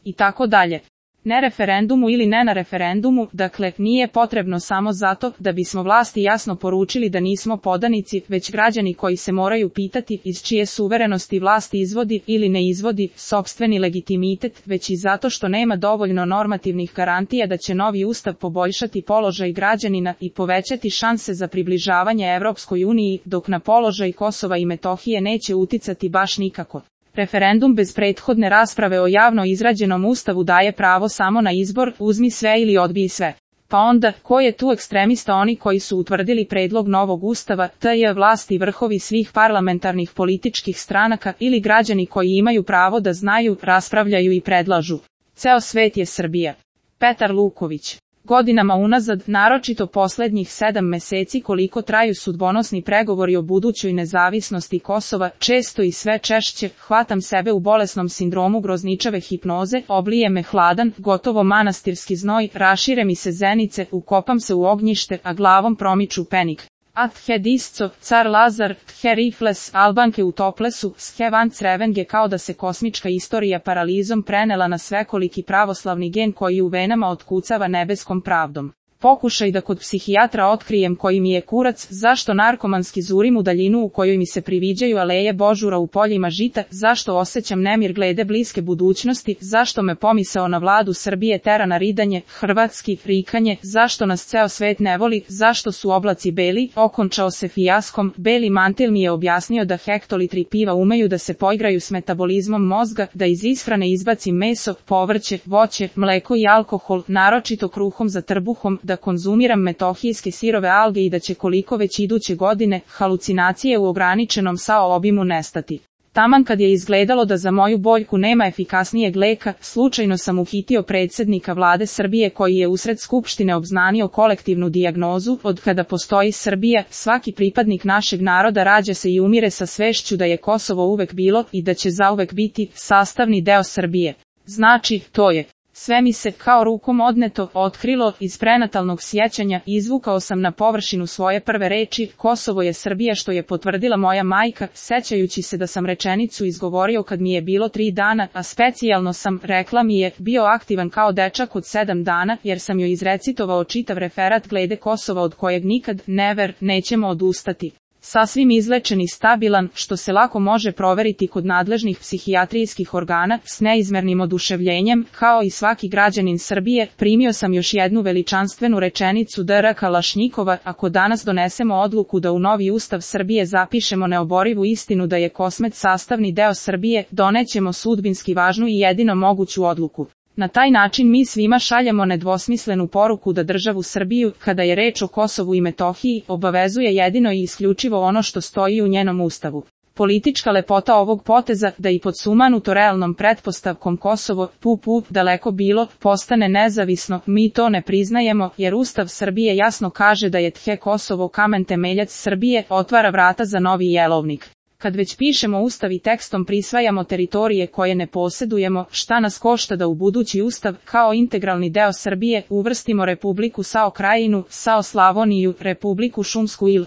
i tako dalje. Ne referendumu ili ne na referendumu, dakle, nije potrebno samo zato da bismo vlasti jasno poručili da nismo podanici, već građani koji se moraju pitati iz čije suverenosti vlast izvodi ili ne izvodi sopstveni legitimitet, već i zato što nema dovoljno normativnih garantija da će novi ustav poboljšati položaj građanina i povećati šanse za približavanje Evropskoj uniji, dok na položaj Kosova i Metohije neće uticati baš nikako. Referendum bez prethodne rasprave o javno izrađenom ustavu daje pravo samo na izbor, uzmi sve ili odbij sve. Pa onda, ko je tu ekstremista? Oni koji su utvrdili predlog novog ustava, tj. vlasti vrhovi svih parlamentarnih političkih stranaka ili građani koji imaju pravo da znaju, raspravljaju i predlažu. Ceo svet je Srbija. Petar Luković. Godinama unazad, naročito poslednjih 7 meseci koliko traju sudbonosni pregovori o budućoj nezavisnosti Kosova, često i sve češće, hvatam sebe u bolesnom sindromu grozničave hipnoze, oblije me hladan, gotovo manastirski znoj, rašire mi se zenice, ukopam se u ognjište, a glavom promiču penik. Athe disco, car Lazar, the rifles, Albanke u toplesu, the van crevenge, kao da se kosmička istorija paralizom prenela na svekoliki pravoslavni gen koji u venama otkucava nebeskom pravdom. Pokušaj da kod psihijatra otkrijem koji mi je kurac, zašto narkomanski zurim u daljinu u kojoj mi se priviđaju aleje božura u poljima žita, zašto osjećam nemir glede bliske budućnosti, zašto me pomisao na vladu Srbije tera na ridanje, hrvatski, rikanje, zašto nas ceo svet ne voli, zašto su oblaci beli, okončao se fijaskom, beli mantil mi je objasnio da hektolitri piva umeju da se poigraju s metabolizmom mozga, da iz ishrane izbacim meso, povrće, voće, mleko i alkohol, naročito kruhom za trbuhom, da konzumiram metohijske sirove alge i da će koliko već iduće godine halucinacije u ograničenom SAO obimu nestati. Taman kad je izgledalo da za moju boljku nema efikasnijeg leka, slučajno sam uhitio predsjednika vlade Srbije koji je usred skupštine obznanio kolektivnu dijagnozu, od kada postoji Srbija, svaki pripadnik našeg naroda rađa se i umire sa svešću da je Kosovo uvek bilo i da će zauvek biti sastavni deo Srbije. Znači, to je. Sve mi se, kao rukom odneto, otkrilo, iz prenatalnog sjećanja, izvukao sam na površinu svoje prve reči, Kosovo je Srbija, što je potvrdila moja majka, sećajući se da sam rečenicu izgovorio kad mi je bilo 3 dana, a specijalno sam, rekla mi je, bio aktivan kao dečak od 7 dana, jer sam joj izrecitovao čitav referat glede Kosova od kojeg nikad, never, nećemo odustati. Sasvim izlečen i stabilan, što se lako može proveriti kod nadležnih psihijatrijskih organa, s neizmernim oduševljenjem, kao i svaki građanin Srbije, primio sam još jednu veličanstvenu rečenicu Dr. Kalašnjikova, ako danas donesemo odluku da u novi ustav Srbije zapišemo neoborivu istinu da je Kosmet sastavni deo Srbije, donećemo sudbinski važnu i jedino moguću odluku. Na taj način mi svima šaljemo nedvosmislenu poruku da državu Srbiju, kada je reč o Kosovu i Metohiji, obavezuje jedino i isključivo ono što stoji u njenom ustavu. Politička lepota ovog poteza, da i pod sumanuto realnom pretpostavkom Kosovo, daleko bilo, postane nezavisno, mi to ne priznajemo, jer Ustav Srbije jasno kaže da je Kosovo kamen temeljac Srbije, otvara vrata za novi jelovnik. Kad već pišemo ustav i tekstom prisvajamo teritorije koje ne posjedujemo, šta nas košta da u budući ustav, kao integralni deo Srbije, uvrstimo Republiku SAO Krajinu, SAO Slavoniju, Republiku Šumsku ili